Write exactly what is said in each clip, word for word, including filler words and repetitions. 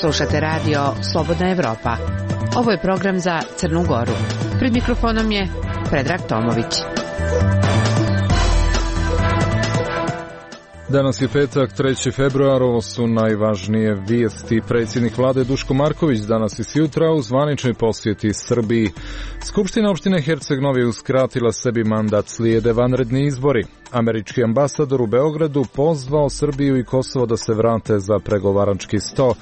Slušate radio Slobodna Evropa. Ovo je program za Crnu Goru. Pred mikrofonom je Predrag Tomović. Danas je petak, treći februar, ovo su najvažnije vijesti. Predsjednik vlade Duško Marković danas i sjutra u zvaničnoj posjeti Srbiji. Skupština opštine Herceg Novi uskratila sebi mandat, slijede vanredni izbori. Američki ambasador u Beogradu pozvao Srbiju i Kosovo da se vrate za pregovarački sto.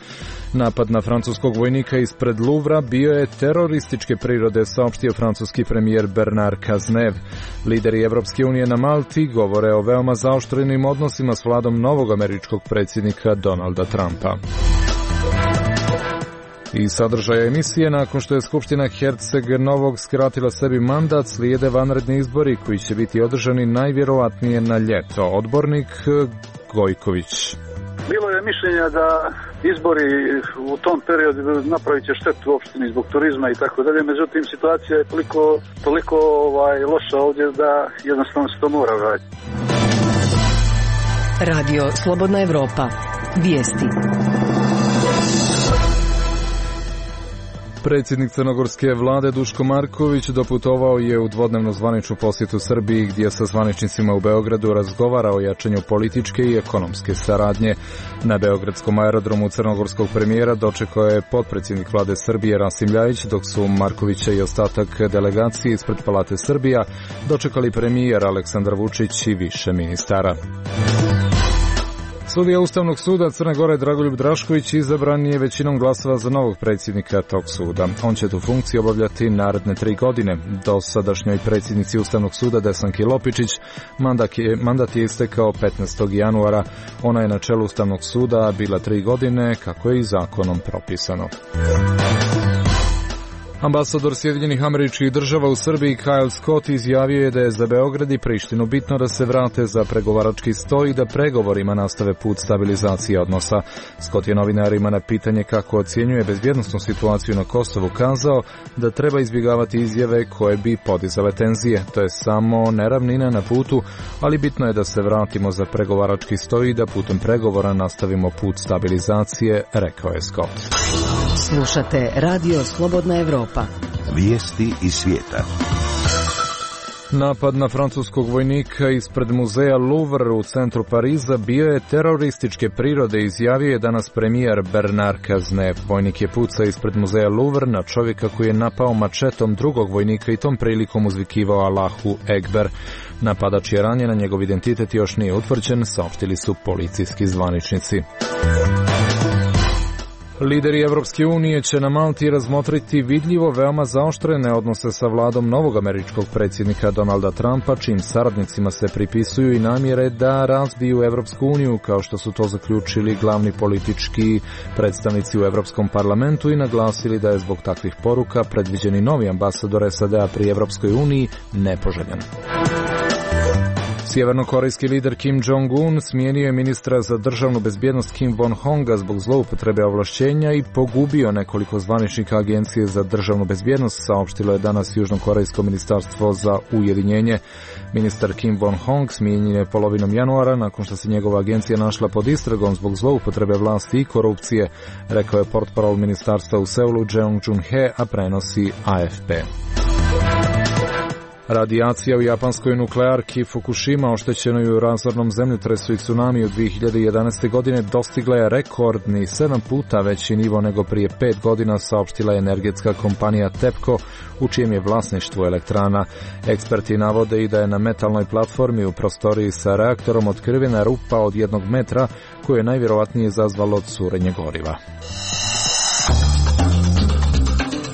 Napad na francuskog vojnika ispred Luvra bio je terorističke prirode, saopštio francuski premijer Bernard Cazeneuve. Lideri Evropske unije na Malti govore o veoma zaoštrenim odnosima s vladom novog američkog predsjednika Donalda Trumpa. I sadržaja emisije, nakon što je Skupština Herceg Novog skratila sebi mandat, slijede vanredni izbori koji će biti održani najvjerovatnije na ljeto. Odbornik Gojković. Bilo je mišljenja da izbori u tom periodu napravit će štetu opštini zbog turizma i tako dalje, međutim situacija je toliko, toliko ovaj, loša ovdje da jednostavno se to mora raditi. Radio Slobodna Evropa. Vijesti. Predsjednik crnogorske vlade Duško Marković doputovao je u dvodnevnu zvaničnu posjetu Srbiji, gdje sa zvaničnicima u Beogradu razgovara o jačanju političke i ekonomske saradnje. Na beogradskom aerodromu crnogorskog premijera dočekao je potpredsjednik vlade Srbije Rasim Ljajić, dok su Markovića i ostatak delegacije ispred Palate Srbija dočekali premijer Aleksandar Vučić i više ministara. Sudija Ustavnog suda Crne Gore Dragoljub Drašković izabran je većinom glasova za novog predsjednika tog suda. On će tu funkciju obavljati naredne tri godine. Dosadašnjoj predsjednici Ustavnog suda Desanki Lopičić mandat je, mandat je istekao petnaestog januara. Ona je na čelu Ustavnog suda bila tri godine, kako je i zakonom propisano. Ambasador Sjedinjenih Američkih Država u Srbiji Kyle Scott izjavio je da je za Beograd i Prištinu bitno da se vrate za pregovarački sto i da pregovorima nastave put stabilizacije odnosa. Scott je novinarima na pitanje kako ocjenjuje bezbjednosnu situaciju na Kosovu kazao da treba izbjegavati izjave koje bi podizale tenzije. To je samo neravnina na putu, ali bitno je da se vratimo za pregovarački sto i da putem pregovora nastavimo put stabilizacije, rekao je Scott. Slušate Radio Slobodna Evropa. Vijesti iz svijeta. Napad na francuskog vojnika ispred muzeja Louvre u centru Pariza bio je terorističke prirode, izjavio je danas premijer Bernard Cazeneuve. Vojnik je pucao ispred muzeja Louvre na čovjeka koji je napao mačetom drugog vojnika i tom prilikom uzvikivao Allahu Ekber. Napadač je ranjen, a njegov identitet još nije utvrđen, saopštili su policijski zvaničnici. Lideri Evropske unije će na Malti razmotriti vidljivo veoma zaoštrene odnose sa vladom novog američkog predsjednika Donalda Trumpa, čim saradnicima se pripisuju i namjere da razbiju Evropsku uniju, kao što su to zaključili glavni politički predstavnici u Evropskom parlamentu i naglasili da je zbog takvih poruka predviđeni novi ambasador S A D-a pri Evropskoj uniji nepoželjan. Sjevernokorejski lider Kim Jong-un smijenio je ministra za državnu bezbjednost Kim Won-honga zbog zloupotrebe ovlašćenja i pogubio nekoliko zvaničnika Agencije za državnu bezbjednost, saopštilo je danas Južnokorejsko ministarstvo za ujedinjenje. Ministar Kim Won-hong smijenjen je polovinom januara nakon što se njegova agencija našla pod istragom zbog zloupotrebe vlasti i korupcije, rekao je portparol ministarstva u Seulu Jeong Jun-he, a prenosi A F P. Radijacija u japanskoj nuklearki Fukushima, oštećenoj u razornom zemljotresu i tsunami u dvije hiljade jedanaeste. godine, dostigla je rekordni sedam puta veći nivo nego prije pet godina, saopštila je energetska kompanija TEPCO, u čijem je vlasništvu elektrana. Eksperti navode i da je na metalnoj platformi u prostoriji sa reaktorom otkrivena rupa od jednog metra, koju je najvjerovatnije izazvalo curenje goriva.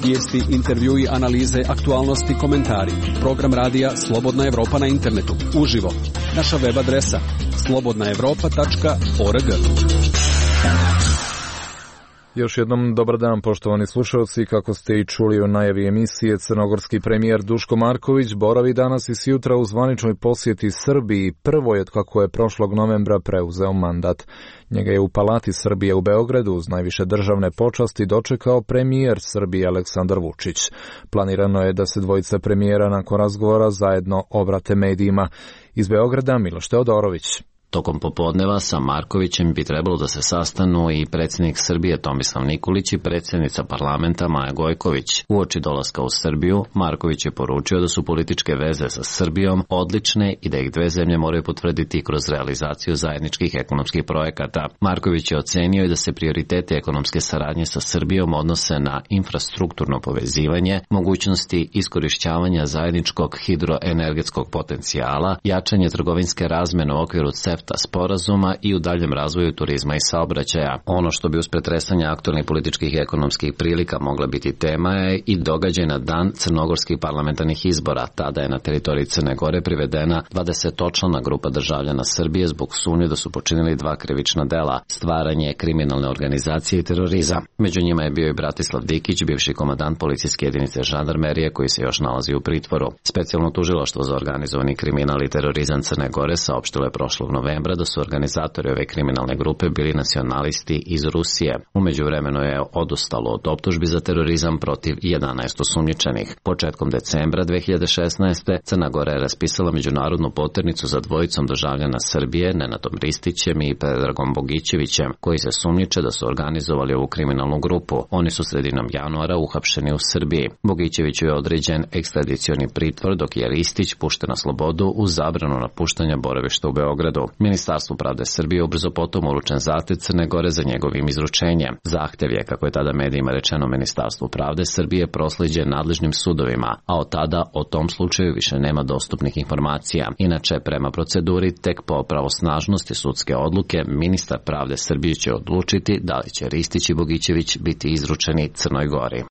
Vijesti, intervjui, analize, aktualnosti, komentari. Program radija Slobodna Evropa na internetu. Uživo. Naša web adresa. slobodna evropa tačka org. slobodna evropa tačka org. Još jednom dobar dan, poštovani slušalci. Kako ste i čuli u najavi emisije, crnogorski premijer Duško Marković boravi danas i sjutra u zvaničnoj posjeti Srbiji. Prvo je kako je prošlog novembra preuzeo mandat. Njega je u Palati Srbije u Beogradu uz najviše državne počasti dočekao premijer Srbije Aleksandar Vučić. Planirano je da se dvojica premijera nakon razgovora zajedno obrate medijima. Iz Beograda Miloš Teodorović. Tokom popodneva sa Markovićem bi trebalo da se sastanu i predsjednik Srbije Tomislav Nikolić i predsjednica parlamenta Maja Gojković. Uoči dolaska u Srbiju, Marković je poručio da su političke veze sa Srbijom odlične i da ih dve zemlje moraju potvrditi kroz realizaciju zajedničkih ekonomskih projekata. Marković je ocenio i da se prioriteti ekonomske saradnje sa Srbijom odnose na infrastrukturno povezivanje, mogućnosti iskorišćavanja zajedničkog hidroenergetskog potencijala, jačanje trgovinske razmene u okviru CEFTA sporazuma i u daljem razvoju turizma i saobraćaja. Ono što bi uz pretresanje aktualnih političkih i ekonomskih prilika mogla biti tema je i događaj na dan crnogorskih parlamentarnih izbora. Tada je na teritoriji Crne Gore privedena dvadesetočlana grupa državljana Srbije zbog sumnje da su počinili dva krivična dela, stvaranje kriminalne organizacije i terorizam. Među njima je bio i Bratislav Dikić, bivši komandant policijske jedinice žandarmerije koji se još nalazi u pritvoru. Specijalno tužilaštvo za organizovani kriminal i terorizam Crne Gore saopštilo je prošlog novembra da su organizatori ove kriminalne grupe bili nacionalisti iz Rusije. U međuvremenu je odustalo od optužbi za terorizam protiv jedanaest osumnjičenih. Početkom decembra dve hiljade šesnaeste. Crna Gora je raspisala međunarodnu poternicu za dvojicom državljana Srbije, Nenadom Ristićem i Predragom Bogićevićem, koji se sumnjiče da su organizovali ovu kriminalnu grupu. Oni su sredinom januara uhapšeni u Srbiji. Bogićeviću je određen ekstradicioni pritvor, dok je Ristić pušten na slobodu uz zabranu napuštanja boravišta u Beogradu. Ministarstvu pravde Srbije ubrzo potom uručen zahtev Crne Gore za njegovim izručenjem. Zahtev je, kako je tada medijima rečeno, Ministarstvu pravde Srbije proslijeđen nadležnim sudovima, a od tada o tom slučaju više nema dostupnih informacija. Inače, prema proceduri, tek po pravosnažnosti sudske odluke, ministar pravde Srbije će odlučiti da li će Ristić i Bogićević biti izručeni Crnoj Gori.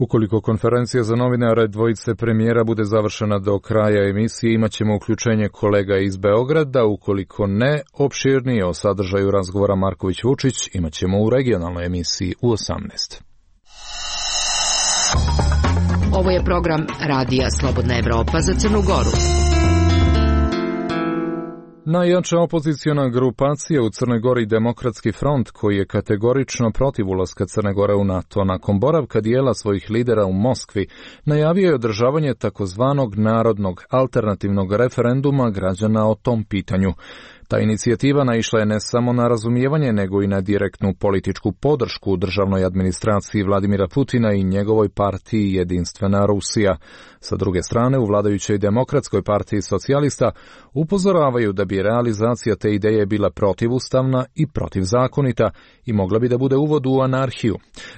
Ukoliko konferencija za novinare dvojice premijera bude završena do kraja emisije, imat ćemo uključenje kolega iz Beograda. Ukoliko ne, opširnije o sadržaju razgovora Marković-Vučić imat ćemo u regionalnoj emisiji u osamnaest. Ovo je program Radija Slobodna Evropa za Crnu Goru. Najjača opoziciona grupacija u Crnoj Gori, Demokratski front, koji je kategorično protiv ulaska Crne Gore u NATO, nakon boravka dijela svojih lidera u Moskvi, najavio je održavanje takozvanog narodnog alternativnog referenduma građana o tom pitanju. Ta inicijativa naišla je ne samo na razumijevanje, nego i na direktnu političku podršku u državnoj administraciji Vladimira Putina i njegovoj partiji Jedinstvena Rusija. Sa druge strane, u vladajućoj Demokratskoj partiji socijalista upozoravaju da bi realizacija te ideje bila protivustavna i protivzakonita i mogla bi da bude uvod u anarhiju.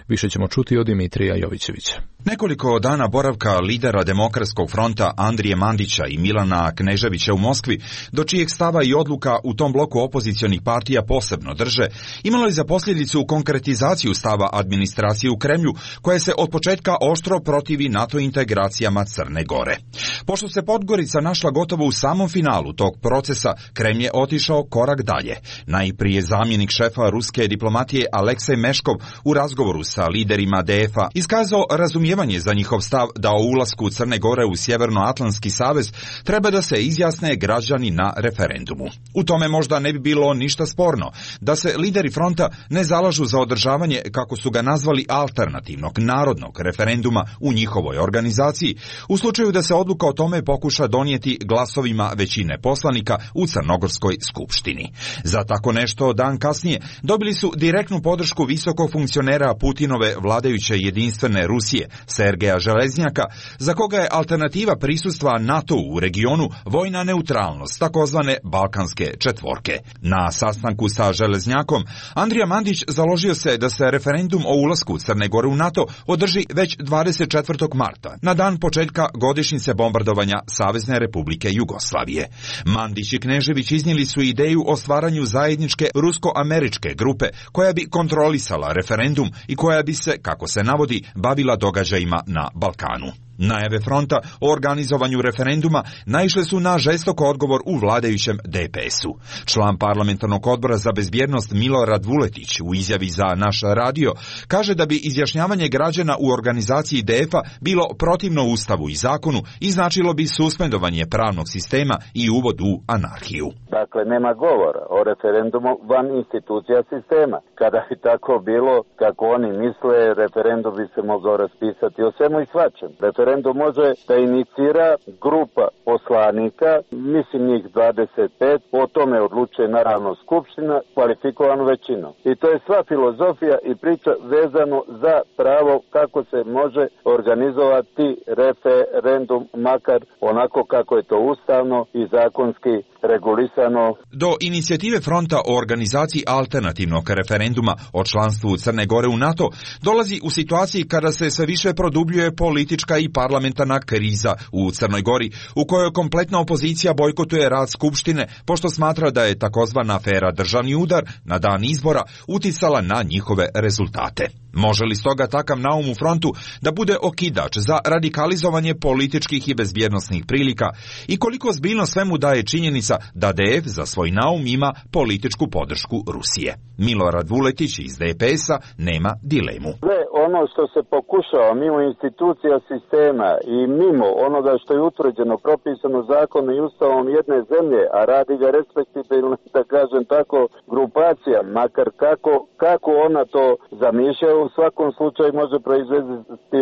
Više ćemo čuti od Dimitrija Jovićevića. Nekoliko dana boravka lidera Demokratskog fronta Andrije Mandića i Milana Kneževića u Moskvi, do čijeg stava i odluka u tom bloku opozicionih partija posebno drže, imalo je za posljedicu konkretizaciju stava administracije u Kremlju, koja se od početka oštro protivi NATO integracijama Crne Gore. Pošto se Podgorica našla gotovo u samom finalu tog procesa, Kremlj je otišao korak dalje. Najprije zamjenik šefa ruske diplomatije Aleksej Meškov u razgovoru sa liderima D F-a iskazao razumijevanje za njihov stav da o ulasku Crne Gore u Sjevernoatlantski savez treba da se izjasne građani na referendumu. U tome možda ne bi bilo ništa sporno da se lideri fronta ne zalažu za održavanje, kako su ga nazvali, alternativnog narodnog referenduma u njihovoj organizaciji, u slučaju da se odluka o tome pokuša donijeti glasovima većine poslanika u Crnogorskoj skupštini. Za tako nešto dan kasnije dobili su direktnu podršku visokog funkcionera Putinove vladajuće Jedinstvene Rusije, Sergeja Železnjaka, za koga je alternativa prisustva NATO u regionu vojna neutralnost, takozvane balkanske četvorke. Na sastanku sa Železnjakom, Andrija Mandić založio se da se referendum o ulasku Crne Gore u NATO održi već dvadeset četvrtog marta, na dan početka godišnjice bombardovanja Savezne Republike Jugoslavije. Mandić i Knežević iznijeli su ideju o stvaranju zajedničke rusko-američke grupe koja bi kontrolisala referendum i koja bi se, kako se navodi, bavila događajima na Balkanu. Najave fronta o organizovanju referenduma naišle su na žestok odgovor u vladajućem D P S-u. Član parlamentarnog odbora za bezbjednost Milorad Vuletić u izjavi za Naš radio kaže da bi izjašnjavanje građana u organizaciji D F-a bilo protivno Ustavu i zakonu i značilo bi suspendovanje pravnog sistema i uvod u anarhiju. Dakle, nema govora o referendumu van institucija sistema. Kada bi tako bilo, kako oni misle, referendum bi se mogao raspisati o svemu i svačem. Referendum može da inicira grupa poslanika, mislim njih dvadeset pet, o tome odlučuje naravno skupština kvalifikovanu većinom. I to je sva filozofija i priča vezano za pravo kako se može organizovati referendum, makar onako kako je to ustavno i zakonski regulisano. Do inicijative fronta o organizaciji alternativnog referenduma o članstvu Crne Gore u NATO dolazi u situaciji kada se sve više produbljuje politička i parlamentarna kriza u Crnoj Gori, u kojoj kompletna opozicija bojkotuje rad Skupštine, pošto smatra da je takozvana afera Državni udar na dan izbora uticala na njihove rezultate. Može li stoga takav naum u frontu da bude okidač za radikalizovanje političkih i bezbjednosnih prilika i koliko zbiljno svemu daje činjenica da D F za svoj naum ima političku podršku Rusije? Milorad Vuletić iz D P S-a nema dilemu. Sve ono što se pokušava mimo institucija sistema i mimo onoga što je utvrđeno, propisano zakonom i ustavom jedne zemlje, a radi ga respektibilno, da kažem tako, grupacija, makar kako, kako ona to zamišlja, u svakom slučaju može proizvesti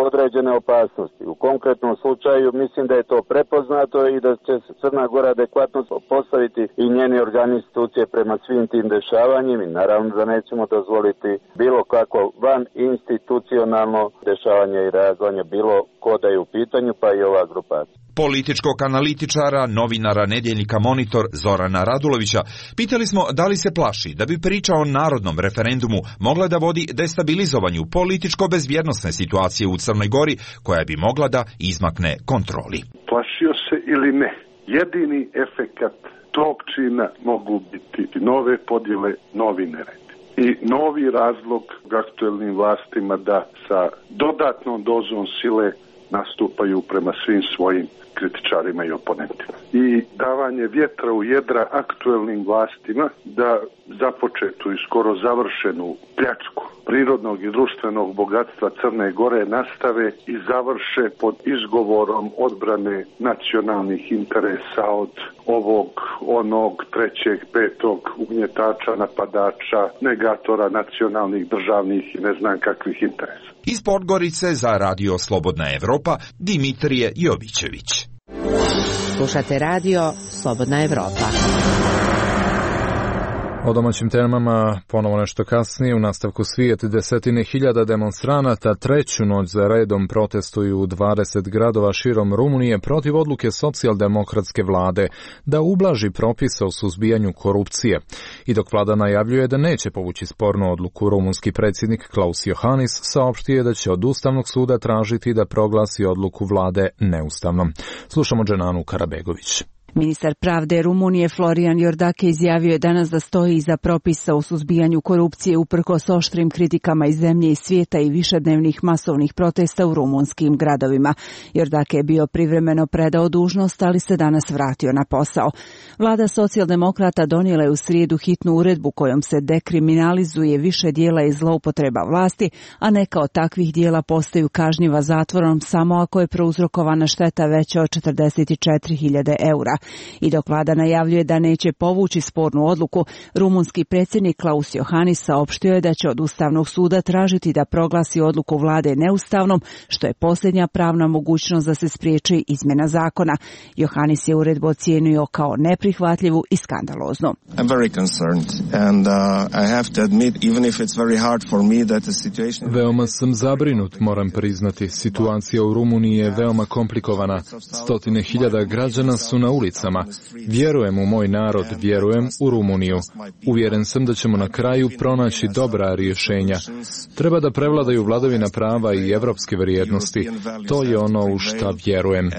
određene opasnosti. U konkretnom slučaju mislim da je to prepoznato i da će se Crna Gora adekvatno postaviti i njeni organi institucije prema svim tim dešavanjima i naravno da nećemo dozvoliti bilo kako van institucionalno dešavanje i reagovanje bilo ko da je u pitanju, pa i ova grupacija. Političkog analitičara, novinara nedjeljnika Monitor Zorana Radulovića pitali smo da li se plaši da bi priča o narodnom referendumu mogla da vodi destabilizovanju političko-bezbjednosne situacije u Crnoj Gori, koja bi mogla da izmakne kontroli. Plašio se ili ne, jedini efekat tog čina mogu biti nove podjele, novi nered i novi razlog aktuelnim vlastima da sa dodatnom dozom sile nastupaju prema svim svojim kritičarima i oponentima. I davanje vjetra u jedra aktuelnim vlastima da započetu i skoro završenu pljačku prirodnog i društvenog bogatstva Crne Gore nastave i završe pod izgovorom odbrane nacionalnih interesa od ovog, onog, trećeg, petog ugnjetača, napadača, negatora nacionalnih, državnih i ne znam kakvih interesa. Iz Podgorice za Radio Slobodna Evropa, Dimitrije Jovićević. Slušate radio Slobodna Evropa. O domaćim temama ponovo nešto kasnije. U nastavku svijet desetine hiljada demonstranata treću noć za redom protestuju u dvadeset gradova širom Rumunije protiv odluke socijaldemokratske vlade da ublaži propise o suzbijanju korupcije. I dok vlada najavljuje da neće povući spornu odluku, rumunski predsjednik Klaus Iohannis saopštio je da će od Ustavnog suda tražiti da proglasi odluku vlade neustavnom. Slušamo Dženanu Karabegović. Ministar pravde Rumunije Florian Iordache izjavio je danas da stoji iza propisa o suzbijanju korupcije uprkos oštrim kritikama iz zemlje i svijeta i višednevnih masovnih protesta u rumunskim gradovima. Iordache je bio privremeno predao dužnost, ali se danas vratio na posao. Vlada socijaldemokrata donijela je u srijedu hitnu uredbu kojom se dekriminalizuje više dijela i zloupotreba vlasti, a neka od takvih dijela postaju kažnjiva zatvorom samo ako je prouzrokovana šteta veća od četrdeset četiri hiljade eura. I dok vlada najavljuje da neće povući spornu odluku, rumunski predsjednik Klaus Iohannis saopštio je da će od Ustavnog suda tražiti da proglasi odluku vlade neustavnom, što je posljednja pravna mogućnost da se spriječi izmjena zakona. Iohannis je uredbu ocijenio kao neprihvatljivu i skandaloznu. I'm very concerned and uh, I have to admit even if it's very hard for me that the situation Veoma sam zabrinut, moram priznati. Situacija u Rumuniji je veoma komplikovana. Stotine hiljada građana su na ulici. ulicama. Vjerujem u moj narod, vjerujem u Rumuniju. Uvjeren sam da ćemo na kraju pronaći dobra rješenja. Treba da prevladaju vladavina prava i evropske vrijednosti. To je ono u šta vjerujem.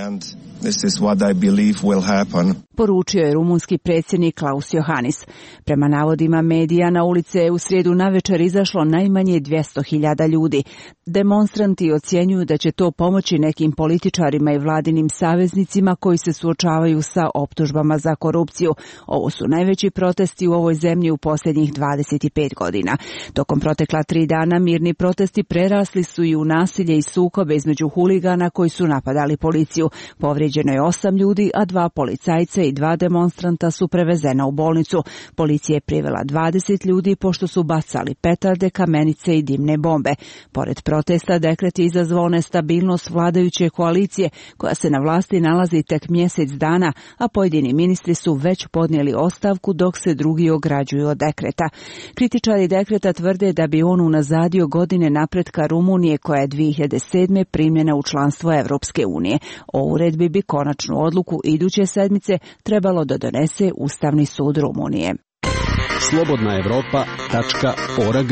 This is what I believe will happen. Poručio je rumunski predsjednik Klaus Iohannis. Prema navodima medija, na ulice je u srijedu navečer izašlo najmanje dvjesto hiljada ljudi. Demonstranti ocjenjuju da će to pomoći nekim političarima i vladinim saveznicima koji se suočavaju sa optužbama za korupciju. Ovo su najveći protesti u ovoj zemlji u posljednjih dvadeset pet godina. Tokom protekla tri dana mirni protesti prerasli su i u nasilje i sukobe između huligana koji su napadali policiju. Povrijeđeno je osam ljudi, a dva policajca i dva demonstranta su prevezena u bolnicu. Policija je privela dvadeset ljudi pošto su bacali petarde, kamenice i dimne bombe. Pored protesta, dekret je izazvao nestabilnost vladajuće koalicije, koja se na vlasti nalazi tek mjesec dana, a pojedini ministri su već podnijeli ostavku dok se drugi ograđuju od dekreta. Kritičari dekreta tvrde da bi on unazadio godine napretka Rumunije, koja je dvije hiljade sedme primljena u članstvo Evropske unije. O uredbi bi konačnu odluku iduće sedmice trebalo da donese Ustavni sud Rumunije. slobodna evropa tačka org.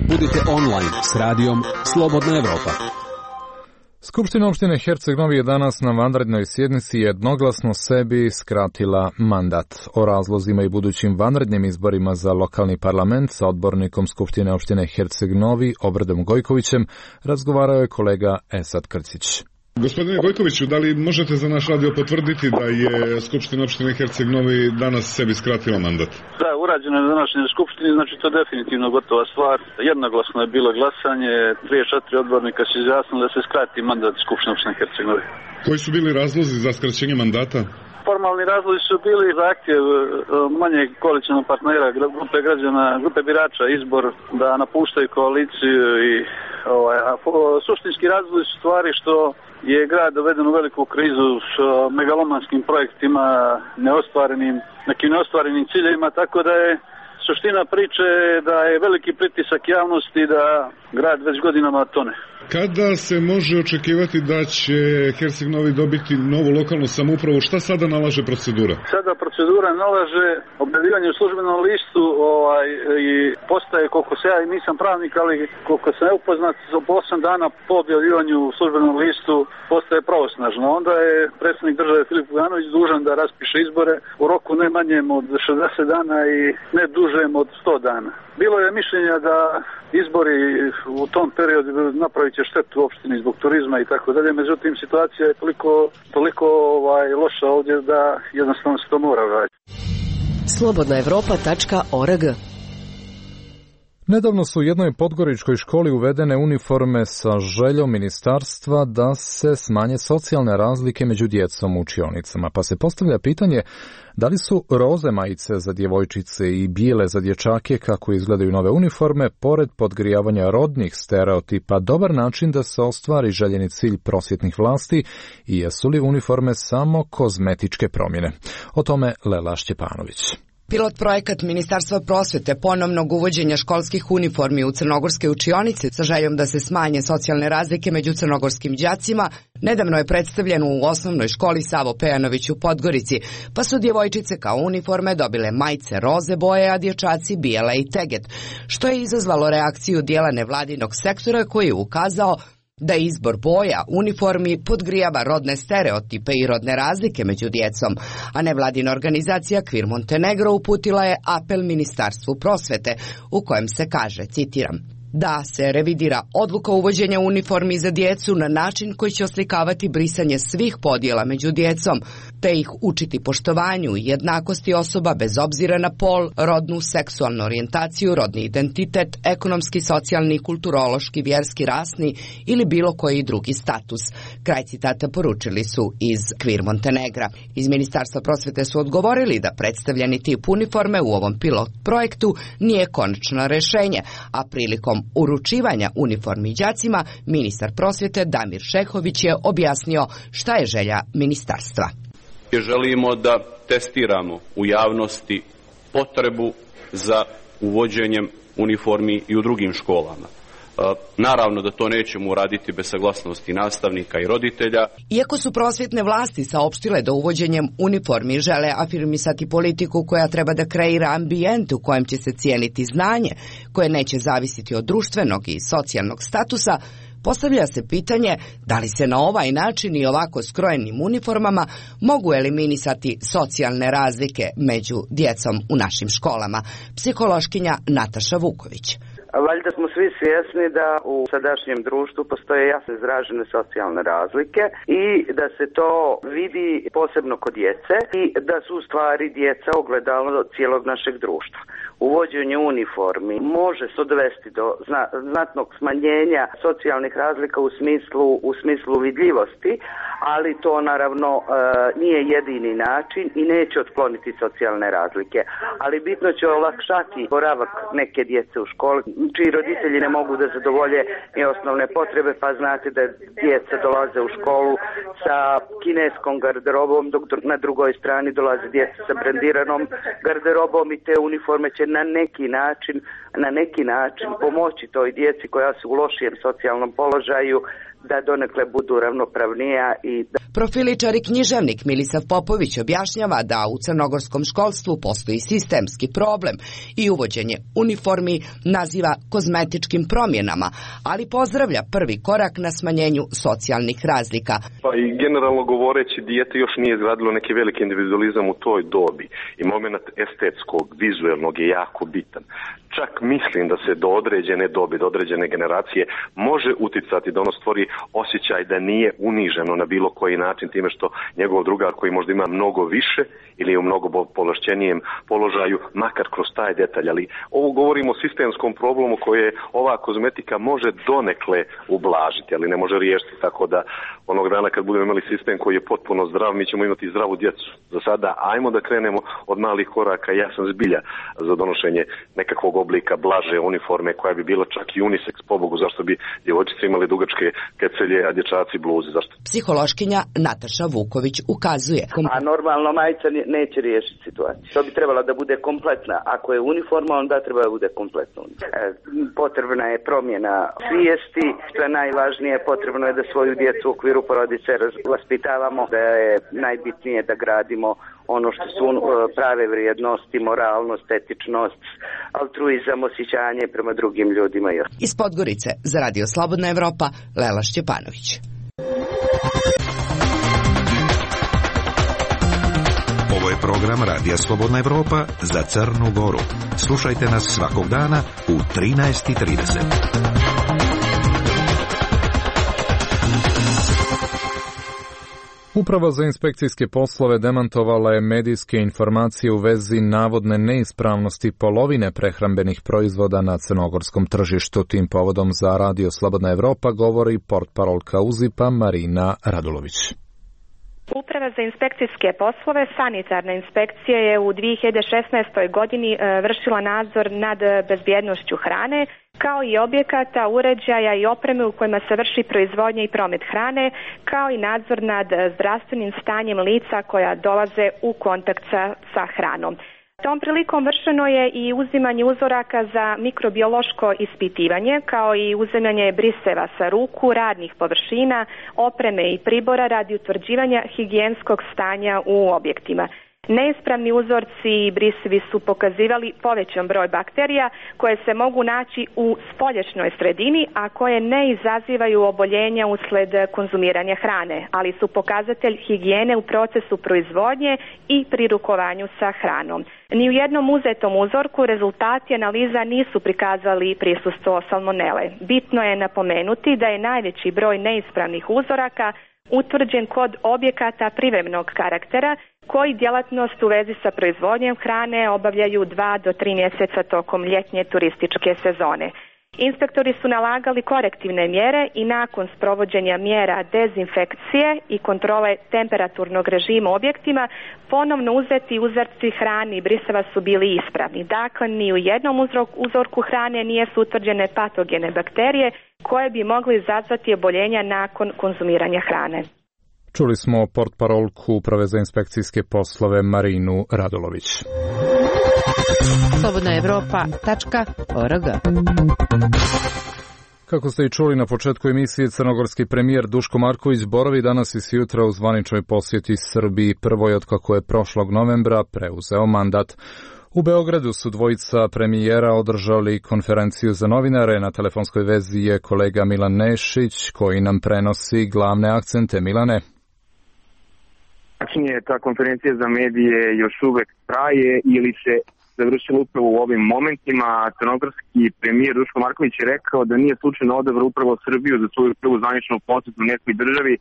Budite online s radijom Slobodna Evropa. Skupština opštine Herceg Novi je danas na vanrednoj sjednici jednoglasno sebi skratila mandat. O razlozima i budućim vanrednim izborima za lokalni parlament sa odbornikom Skupštine opštine Herceg Novi Obradom Gojkovićem razgovarao je kolega Esad Krcić. Gospodine Gojkoviću, da li možete za naš radio potvrditi da je Skupština opštine Herceg Novi danas sebi skratila mandat? Da, urađeno je na današnjoj skupštini, znači to je definitivno gotova stvar. Jednoglasno je bilo glasanje, trideset četiri odbornika se izjasnili da se skrati mandat Skupštine opštine Herceg Novi. Koji su bili razlozi za skraćenje mandata? Formalni razlozi su bili zahtjev manjeg koalicionog partnera, grupe građana, grupe birača, izbor da napuštaju koaliciju i ovaj, a suštinski razlozi su stvari što je grad doveden u veliku krizu s megalomanskim projektima, neostvarenim, nekim neostvarenim ciljevima, tako da je suština priče da je veliki pritisak javnosti da grad već godinama tone. Kada se može očekivati da će Herceg Novi dobiti novu lokalnu samoupravu, šta sada nalaže procedura? Sada procedura nalaže objavljivanje u službenom listu ovaj, i postaje, koliko se ja i nisam pravnik, ali koliko sam ja upoznat, po osam dana po objavljivanju u službenom listu postaje pravosnažno. Onda je predsjednik države Filip Vujanović dužan da raspiše izbore u roku ne manjem od šezdeset dana i ne dužem od sto dana. Bilo je mišljenja da izbori u tom periodu napravit će štetu u opštini zbog turizma i tako dalje, međutim situacija je toliko, toliko ovaj, loša ovdje da jednostavno se to mora raditi. slobodna evropa tačka org. Nedavno su u jednoj podgoričkoj školi uvedene uniforme sa željom ministarstva da se smanje socijalne razlike među djecom u učionicama, pa se postavlja pitanje da li su roze majice za djevojčice i bijele za dječake, kako izgledaju nove uniforme, pored podgrijavanja rodnih stereotipa, dobar način da se ostvari željeni cilj prosvjetnih vlasti i jesu li uniforme samo kozmetičke promjene? O tome Lela Šćepanović. Pilot projekat Ministarstva prosvete ponovnog uvođenja školskih uniformi u crnogorske učionice sa željom da se smanje socijalne razlike među crnogorskim đacima nedavno je predstavljen u osnovnoj školi Savo Pejanović u Podgorici, pa su djevojčice kao uniforme dobile majice roze boje, a dječaci bijele i teget, što je izazvalo reakciju dijela nevladinog sektora koji je ukazao da izbor boja uniformi podgrijava rodne stereotipe i rodne razlike među djecom, a nevladina organizacija Queer Montenegro uputila je apel Ministarstvu prosvete u kojem se kaže, citiram, da se revidira odluka uvođenja uniformi za djecu na način koji će oslikavati brisanje svih podjela među djecom, te ih učiti poštovanju i jednakosti osoba bez obzira na pol, rodnu, seksualnu orijentaciju, rodni identitet, ekonomski, socijalni, kulturološki, vjerski, rasni ili bilo koji drugi status. Kraj citata poručili su iz Queer Montenegra. Iz Ministarstva prosvete su odgovorili da predstavljeni tip uniforme u ovom pilot projektu nije konačno rješenje, a prilikom uručivanja uniformi đacima, ministar prosvjete Damir Šehović je objasnio šta je želja ministarstva. Želimo da testiramo u javnosti potrebu za uvođenjem uniformi i u drugim školama. Naravno da to nećemo uraditi bez saglasnosti nastavnika i roditelja. Iako su prosvjetne vlasti saopštile da uvođenjem uniformi žele afirmisati politiku koja treba da kreira ambijent u kojem će se cijeniti znanje, koje neće zavisiti od društvenog i socijalnog statusa, postavlja se pitanje da li se na ovaj način i ovako skrojenim uniformama mogu eliminisati socijalne razlike među djecom u našim školama. Psihološkinja Nataša Vuković. Valjda smo svi svjesni da u sadašnjem društvu postoje jasno izražene socijalne razlike i da se to vidi posebno kod djece i da su u stvari djeca ogledalo cijelog našeg društva. Uvođenje uniformi može se dovesti do zna, znatnog smanjenja socijalnih razlika u smislu, u smislu vidljivosti, ali to naravno e, nije jedini način i neće otkloniti socijalne razlike. Ali bitno će olakšati boravak neke djece u školi, čiji roditelji ne mogu da zadovolje i osnovne potrebe, pa znate da djeca dolaze u školu sa kineskom garderobom, dok na drugoj strani dolaze djeca sa brandiranom garderobom i te uniforme će na neki način, na neki način pomoći toj djeci koja su u lošijem socijalnom položaju da donekle budu ravnopravnija i da... Profiličar i književnik Milisav Popović objašnjava da u crnogorskom školstvu postoji sistemski problem i uvođenje uniformi naziva kozmetičkim promjenama, ali pozdravlja prvi korak na smanjenju socijalnih razlika. Pa i generalno govoreći, dijete još nije izgradilo neki veliki individualizam u toj dobi i moment estetskog, vizuelnog je jako bitan. Čak mislim da se do određene dobi, do određene generacije može uticati da ono stvori osjećaj da nije uniženo na bilo koji način time što njegov drugar koji možda ima mnogo više ili je u mnogo povlašćenijem položaju, makar kroz taj detalj. Ali ovo govorimo o sistemskom problemu koje ova kozmetika može donekle ublažiti, ali ne može riješiti, tako da onog dana kad budemo imali sistem koji je potpuno zdrav, mi ćemo imati zdravu djecu. Za sada ajmo da krenemo od malih koraka. Ja sam zbilja za donošenje nekakvog oblika blaže uniforme koja bi bila čak i unisex, pobogu, zašto bi djevojčice imali dugačke kecelje, a dječaci bluze, zašto? Psihološkinja Nataša Vuković ukazuje. A normalno majica neće riješiti situaciju. To bi trebala da bude kompletna. Ako je uniforma, onda treba da bude kompletna. E, potrebna je promjena svijesti, što je najvažnije, potrebno je da svoju djecu u okviru porodice vaspitavamo, da je najbitnije da gradimo ono što su prave vrijednosti, moralnost, etičnost, altruizam, osjećanje prema drugim ljudima. Iz Podgorice za Radio Slobodna Evropa, Lela Šćepanović. Ovo je program Radija Slobodna Evropa za Crnu Goru. Slušajte nas svakog dana u trinaest i trideset. Uprava za inspekcijske poslove demantovala je medijske informacije u vezi navodne neispravnosti polovine prehrambenih proizvoda na crnogorskom tržištu. Tim povodom za Radio Slobodna Evropa govori portparolka UZIP-a Marina Radulović. Uprava za inspekcijske poslove, sanitarna inspekcija je u dvije hiljade šesnaestoj. godini vršila nadzor nad bezbjednošću hrane, kao i objekata, uređaja i opreme u kojima se vrši proizvodnja i promet hrane, kao i nadzor nad zdravstvenim stanjem lica koja dolaze u kontakt sa, sa hranom. Tom prilikom vršeno je i uzimanje uzoraka za mikrobiološko ispitivanje, kao i uzimanje briseva sa ruku, radnih površina, opreme i pribora radi utvrđivanja higijenskog stanja u objektima. Neispravni uzorci i brisevi su pokazivali povećan broj bakterija koje se mogu naći u spoljašnjoj sredini, a koje ne izazivaju oboljenja usled konzumiranja hrane, ali su pokazatelj higijene u procesu proizvodnje i pri rukovanju sa hranom. Ni u jednom uzetom uzorku rezultati analiza nisu prikazali prisustvo salmonele. Bitno je napomenuti da je najveći broj neispravnih uzoraka utvrđen kod objekata privremenog karaktera koji djelatnost u vezi sa proizvodnjom hrane obavljaju dva do tri mjeseca tokom ljetnje turističke sezone. Inspektori su nalagali korektivne mjere i nakon sprovođenja mjera dezinfekcije i kontrole temperaturnog režima u objektima ponovno uzeti uzorci hrane i briseva su bili ispravni. Dakle, ni u jednom uzorku hrane nije su utvrđene patogene bakterije koje bi mogli izazvati oboljenja nakon konzumiranja hrane. Čuli smo portparolku Uprave za inspekcijske poslove Marinu Radulović. slobodna evropa tačka org. Kako ste i čuli na početku emisije, crnogorski premijer Duško Marković boravi danas i sjutra u zvaničnoj posjeti Srbiji, prvoj od kako je prošlog novembra preuzeo mandat. U Beogradu su dvojica premijera održali konferenciju za novinare. Na telefonskoj vezi je kolega Milan Nešić koji nam prenosi glavne akcente. Milane. Tačnije, ta konferencija za medije još uvek traje ili se završila upravo u ovim momentima. Crnogorski premijer Duško Marković je rekao da nije slučajno odabrao upravo Srbiju za svoju prvu zvaničnu posjetu u nekoj državi.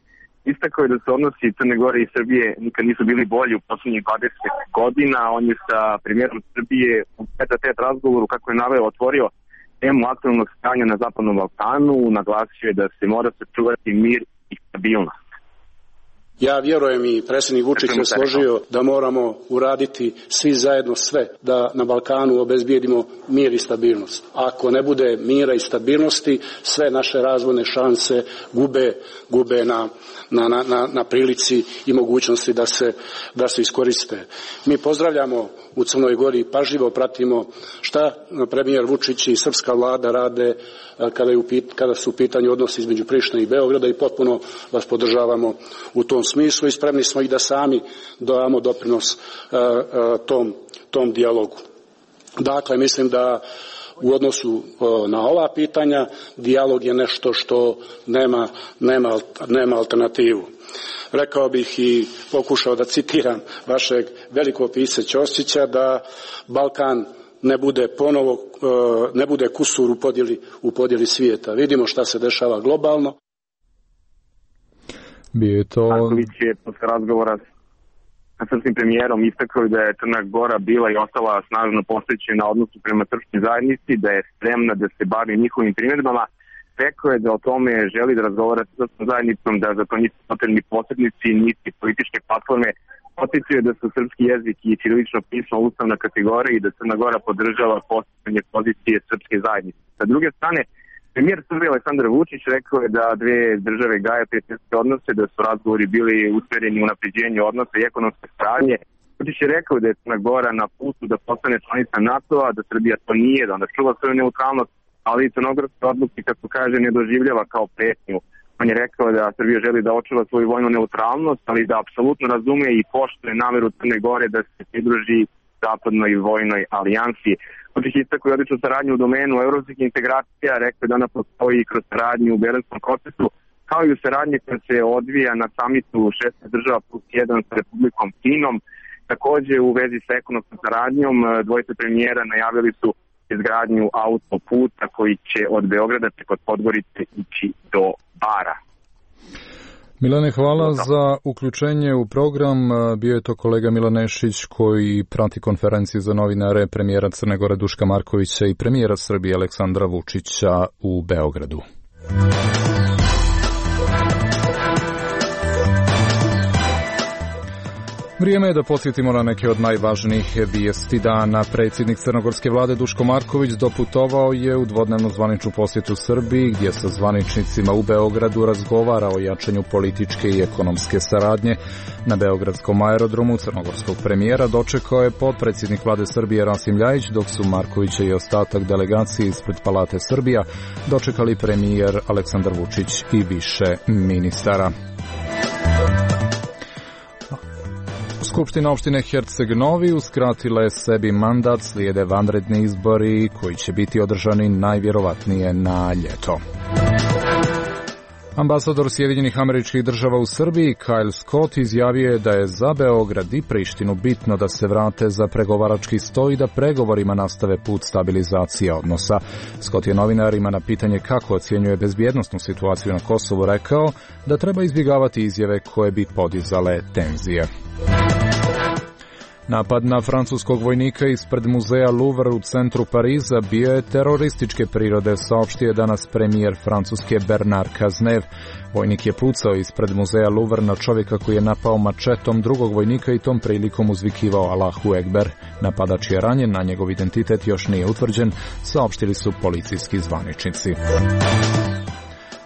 Istakao je da se odnosi Crne Gore i Srbije nikad nisu bili bolji u poslednjih dvadeset godina. On je sa premijerom Srbije u tete-a-tete razgovoru, kako je naveo, otvorio temu aktualnog stanja na Zapadnom Balkanu. Naglasio je da se mora sačuvati mir i stabilnost. Ja vjerujem i predsjednik Vučić se složio da moramo uraditi svi zajedno sve da na Balkanu obezbijedimo mir i stabilnost. Ako ne bude mira i stabilnosti, sve naše razvojne šanse gube, gube na, na, na, na prilici i mogućnosti da se, da se iskoriste. Mi pozdravljamo u Crnoj Gori, pažljivo pratimo šta premijer Vučić i srpska vlada rade kada, je u, kada su u pitanju odnosi između Prištine i Beograda i potpuno vas podržavamo u tom smislu i spremni smo i da sami damo doprinos uh, uh, tom, tom dijalogu. Dakle, mislim da u odnosu uh, na ova pitanja dijalog je nešto što nema, nema, nema alternativu. Rekao bih i pokušao da citiram vašeg velikog pisca Ćosića da Balkan ne bude ponovo, uh, ne bude kusur u podjeli, u podjeli svijeta. Vidimo šta se dešava globalno. Bio je to... Marković je posle razgovora sa srpskim premijerom istakao da je Crna Gora bila i ostala snažno posvećena odnosu prema srpskoj zajednici, da je spremna da se bavi njihovim primjedbama. Rekao je da o tome želi da razgovara sa srpskom zajednicom, da za to nisu potrebni posrednici, niti političke platforme. Podsjetio je da su srpski jezik i ćirilično pismo ustavna kategorija i da Crna Gora podržava postavljanje pozicije srpske zajednice. Sa druge strane, premijer Srbije Aleksandar Vučić rekao je da dve države gaje prijateljske odnose, da su razgovori bili usmereni u unapređenju odnosa i ekonomske saradnje. Vučić je rekao da je Crna Gora na putu da postane članica NATO-a, da Srbija to nije, da ona čuva svoju neutralnost, ali i crnogorske odluke, kako kaže, ne doživljava kao pretnju. On je rekao da Srbija želi da očuva svoju vojnu neutralnost, ali da apsolutno razume i poštuje nameru Crne Gore da se pridruži zapadnoj vojnoj alijansi. Vučić je istakao i odličnu saradnju u domenu evropskih integracija, rekao da ona postoji kroz saradnju u Berlinskom procesu, kao i u saradnji koja se odvija na samitu šesnaest država plus jedan sa Republikom Kinom. Takođe, u vezi sa ekonomskom saradnjom, dvojice premijera najavili su izgradnju autoputa koji će od Beograda preko Podgorice ići do Bara. Milane, hvala za uključenje u program. Bio je to kolega Milan Nešić koji prati konferenciju za novinare premijera Crne Gore Duška Markovića i premijera Srbije Aleksandra Vučića u Beogradu. Vrijeme je da podsjetimo na neke od najvažnijih vijesti dana. Predsjednik crnogorske vlade Duško Marković doputovao je u dvodnevnu zvaničnu posjetu Srbiji, gdje sa zvaničnicima u Beogradu razgovara o jačanju političke i ekonomske saradnje. Na beogradskom aerodromu crnogorskog premijera dočekao je potpredsjednik vlade Srbije Rasim Ljajić, dok su Markovića i ostatak delegacije ispred Palate Srbija dočekali premijer Aleksandar Vučić i više ministara. Skupština opštine Herceg Novi uskratila je sebi mandat, slijede vanredni izbori koji će biti održani najvjerovatnije na ljeto. Ambasador Sjedinjenih Američkih Država u Srbiji, Kyle Scott, izjavio je da je za Beograd i Prištinu bitno da se vrate za pregovarački sto i da pregovorima nastave put stabilizacije odnosa. Scott je novinarima na pitanje kako ocjenjuje bezbjednosnu situaciju na Kosovu rekao da treba izbjegavati izjave koje bi podizale tenzije. Napad na francuskog vojnika ispred muzeja Louvre u centru Pariza bio je terorističke prirode, saopštio je danas premijer Francuske Bernard Cazeneuve. Vojnik je pucao ispred muzeja Louvre na čovjeka koji je napao mačetom drugog vojnika i tom prilikom uzvikivao Allahu Ekber. Napadač je ranjen, a njegov identitet još nije utvrđen, saopštili su policijski zvaničnici.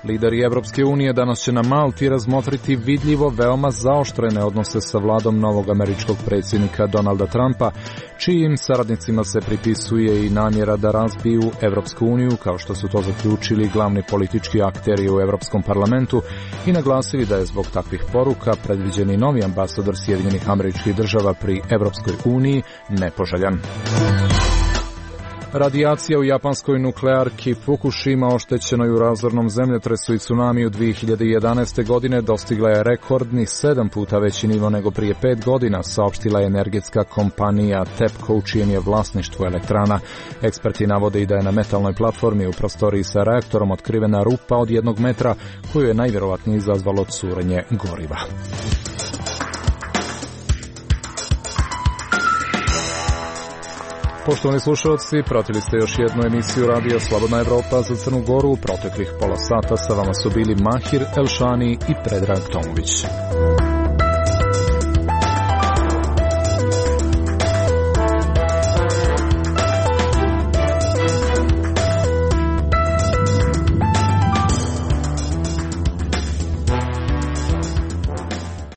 Lideri Evropske unije danas će na Malti razmotriti vidljivo veoma zaoštrene odnose sa vladom novog američkog predsjednika Donalda Trumpa, čijim saradnicima se pripisuje i namjera da razbiju Evropsku uniju, kao što su to zaključili glavni politički akteri u Evropskom parlamentu i naglasili da je zbog takvih poruka predviđeni novi ambasador Sjedinjenih Američkih Država pri Evropskoj uniji nepoželjan. Radijacija u japanskoj nuklearki Fukushima, oštećenoj u razornom zemljotresu i tsunamiju dvije hiljade jedanaeste. godine, dostigla je rekordni sedam puta veći nivo nego prije pet godina, saopštila je energetska kompanija TEPCO, u čijem je vlasništvu elektrana. Eksperti navode i da je na metalnoj platformi u prostoriji sa reaktorom otkrivena rupa od jednog metra, koju je najvjerovatnije izazvalo curenje goriva. Poštovani slušalci, pratili ste još jednu emisiju Radija Slobodna Evropa za Crnu Goru. U proteklih pola sata sa vama su bili Mahir Elšani i Predrag Tomović.